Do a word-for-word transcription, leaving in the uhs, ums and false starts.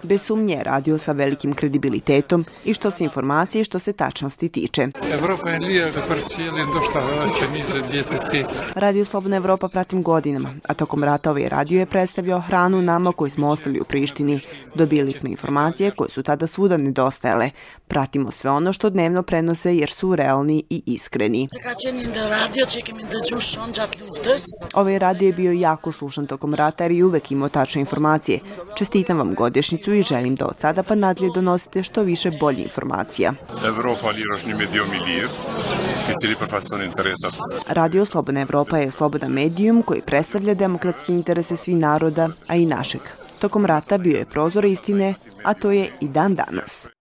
Bez sumnje radio sa velikim kredibilitetom i što se informacije i što se tačnosti tiče. Radio Slobodna Evropa pratim godinama, a tokom rata ovaj radio je predstavljao hranu nama koji smo ostali u Prištini. Dobili smo informacije koje su tada svuda nedostajale. Pratimo sve ono što dnevno prenose jer su realni i iskreni. Ovaj radio je bio jako slušan tokom rata jer je uvek imao tačne informacije. Čestitam vam godišnjicu i želim da od sada pa nadalje donosite što više bolje informacija. Radio Slobodna Evropa je slobodan medijum koji predstavlja demokratske interese svih naroda, a i našeg. Tokom rata bio je prozor istine, a to je i dan danas.